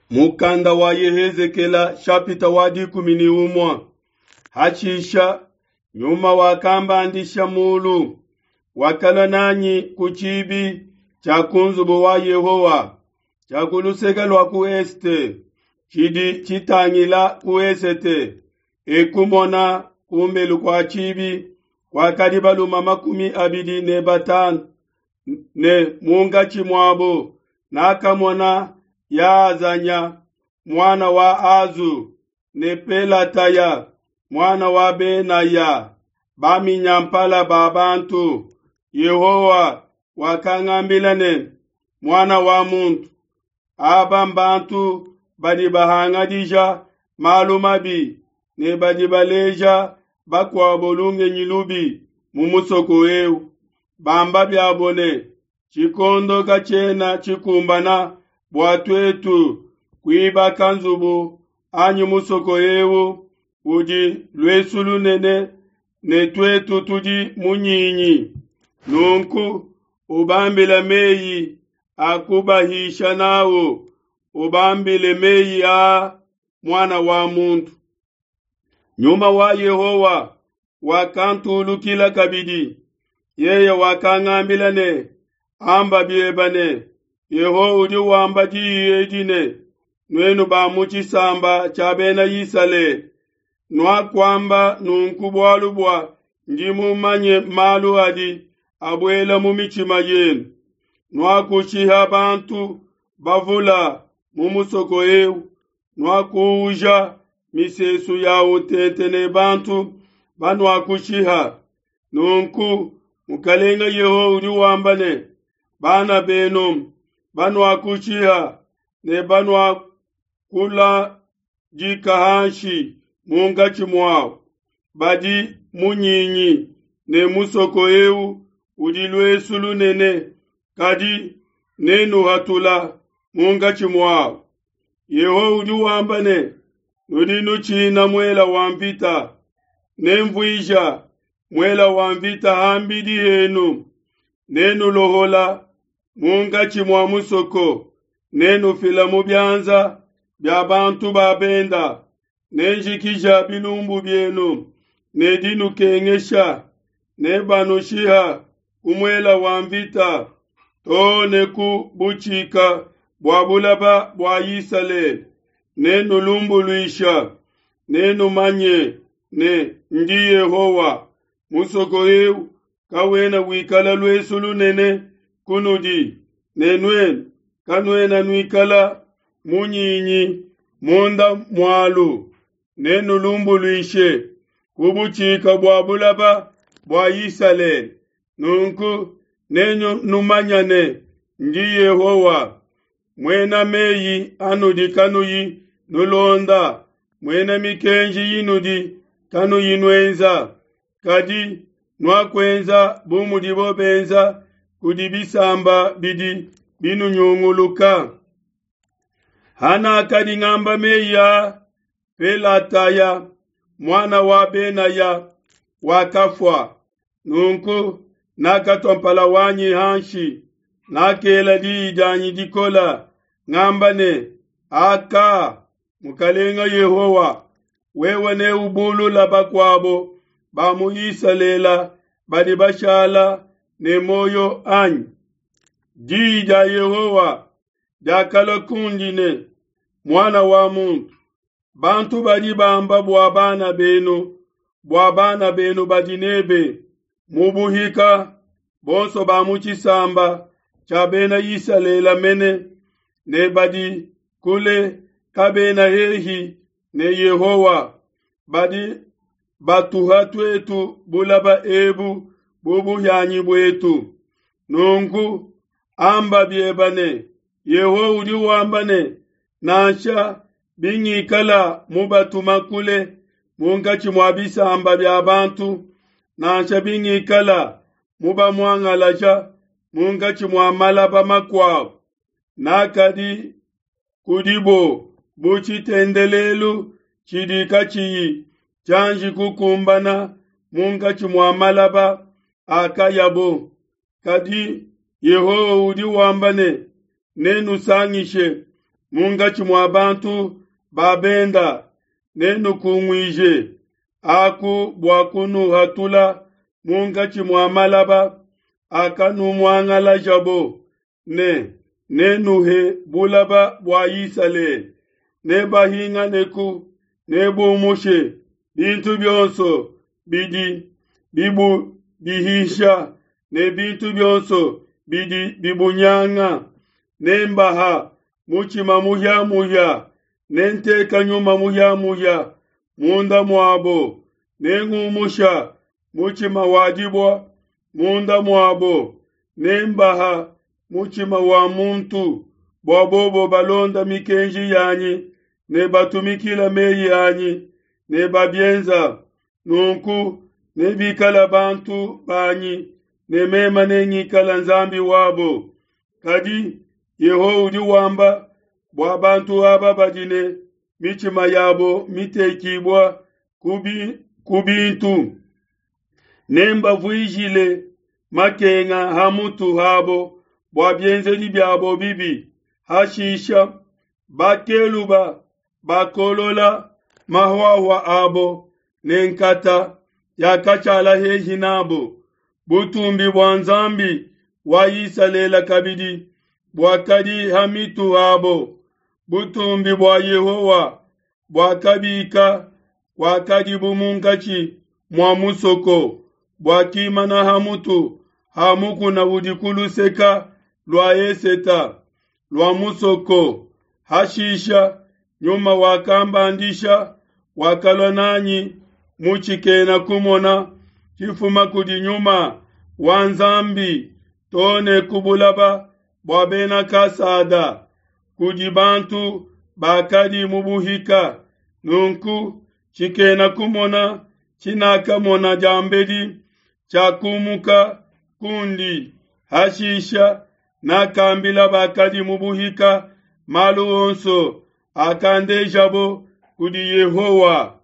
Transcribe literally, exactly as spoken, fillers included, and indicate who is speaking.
Speaker 1: Mukanda wa Yehezekela shapita wa dikumi ne umue. Hashisha nyuma wakambandisha mulu, wakalua nanyi ku tshibi tshia ku nzubu wa Yehowa tshia ku luseke lua ku esete, tshidi tshitangila ku esete. Ekumona kumbelu kua tshibi kwakadi balume makumi abidi ne batanu, ne munkatshi muabo nakamona Yaazanya muana wa Azu ne Pelataya muana wa Benaya, baminyampala ba bantu. Yehowa wakangambila ne, muana wa muntu, aba mbantu badi bahangadija malu mabi ne badi baleja bakuabo lungenyi lubi mu musoko eu, bamba biabo ne, tshikondo katshiena tshikumbana bua tuetu kuibaka nzubu anyi musoko eu udi luesu lunene ne tuetu tudi munyinyi. Nunku ubambile meyi a kubahisha n'au, ubambile meyi a muana wa muntu. Nyuma wa Yehowa wakantulukila kabidi, yeye wakangambila ne, amba biebe ne, Yehowa udi wamba diyi edi ne, nuenu ba mu tshisamba tshia bena Isalele, nuakuamba nunku bualu bua ndi mumanye malu adi abuela mu mitshima yenu. Nuakushiha bantu bavula mu musoko eu, nuakuuja misesu yawu tente ne bantu banuakushiha. Nunku Mukalenga Yehowa udi wamba ne, bana benu banuakushiha ne banuakuladika hanshi munkatshi muabu badi munyinyi, ne musoko eu udi luesu lunene, kadi nenuhatula munkatshi muabu. Yehowa udi wamba ne, nudi nutshina muela wa mvita, nemvuija muela wa mvita hambidi henu, nenulohola munkatshi mua musoko, nenufila mu bianza bia bantu ba benda, nenjikija bilumbu bienu ne dinukengesha, nebanushiha ku muela wa mvita too ne ku butshika bua bulaba bua Isalele. Nenulumbuluisha, nenumanye ne ndi Yehowa. Musoko eu kawena wikala luesu lunene kunudi, ne nuenu kanuena nuikala munyinyi munda mualu. Nenulumbuluishe ku butshika bua bulaba bua Isalele. Nunku nenumanye ne ndi Yehowa. Muena meyi anudi kanuyi nulonda, muena mikenji inudi kanuyi nuenza, kadi nuakuenza bu mudibo benza kudi bisamba bidi binunyunguluka. Hanakadi ngamba meyi a Pelataya muana wa Benaya wakafua. Nunku nakatua mpala wanyi hanshi, nakela diyi dianyi dikola ngamba ne, aka Mukalenga Yehowa, wewe neubulula bakuabo ba mu Isalele badi bashala ne muoyo anyi? Diyi dia Yehowa diakalua kundi ne, muana wa muntu, bantu badi bamba bua bana benu, bua bana benu badi nebe mu buhika, bonso ba mu tshisamba tshia bena Isalele mene, ne badi kule kabena hehi ne Yehowa, badi batuha tuetu bulaba ebu bu buhianyi buetu. Nunku amba bieba ne, Yehowa udi wamba ne, nansha bingikala mubatuma kule munkatshi mua bisamba bia bantu, nansha bingikala mubamuangalaja munkatshi mua malaba makuabu, nakadi kudibo bu tshitendelelu tshidi katshiyi tshianji kukumbana munkatshi mua malaba akayabo. Kadi Yehowa udi wamba ne, nenusangishe Munkatshi mua bantu ba benda nenukunguije aku bua kunuhatula munkatshi mua malaba akanumuangalajabo ne nenuhe bulaba bua Isalele. Nebahinganeku, nebumushe bintu bionso bidi bibubihisha ne bintu bionso bidi bibunyanga. Nembaha mutshima muhia-muhia, nenteka nyuma muhia-muhia munda muabo, nengumusha mutshima wa dibua munda muabo, nembaha mutshima wa muntu, bua bobo balonda mikenji yanyi ne batumikila meyi anyi ne babienza. Nunku nebikala bantu banyi ne meme nengikala Nzambi wabo. Kadi Yehowa udi wamba bua bantu aba badi ne mitshima yabo mitekibua ku bintu, nembavuijile makenga ha mutu habo bua bienzedi biabo bibi. Hashisha bakeluba bakolola mahuahua abo ne nkata yakashala hehi nabo. Butumbi bua Nzambi wa Isalele kabidi buakadi ha mitu habo. Butumbi bua Yehowa buakabika kuakadibu munkatshi mua musoko, buakimana ha mutu ha mukuna udi ku luseka lua eseta lua musoko. Hashisha Nyuma wakambandisha, wakalua nanyi mu tshikena kumona tshifuma kudi Nyuma wa Nzambi to ne ku bulaba bua Bena Kasada, kudi bantu bakadi mu buhika. Nunku tshikena kumona tshinakamona diambedi tshiakumuka kundi. Hashisha nakambila bakadi mu buhika malu onso akandejabo kudi Yehowa.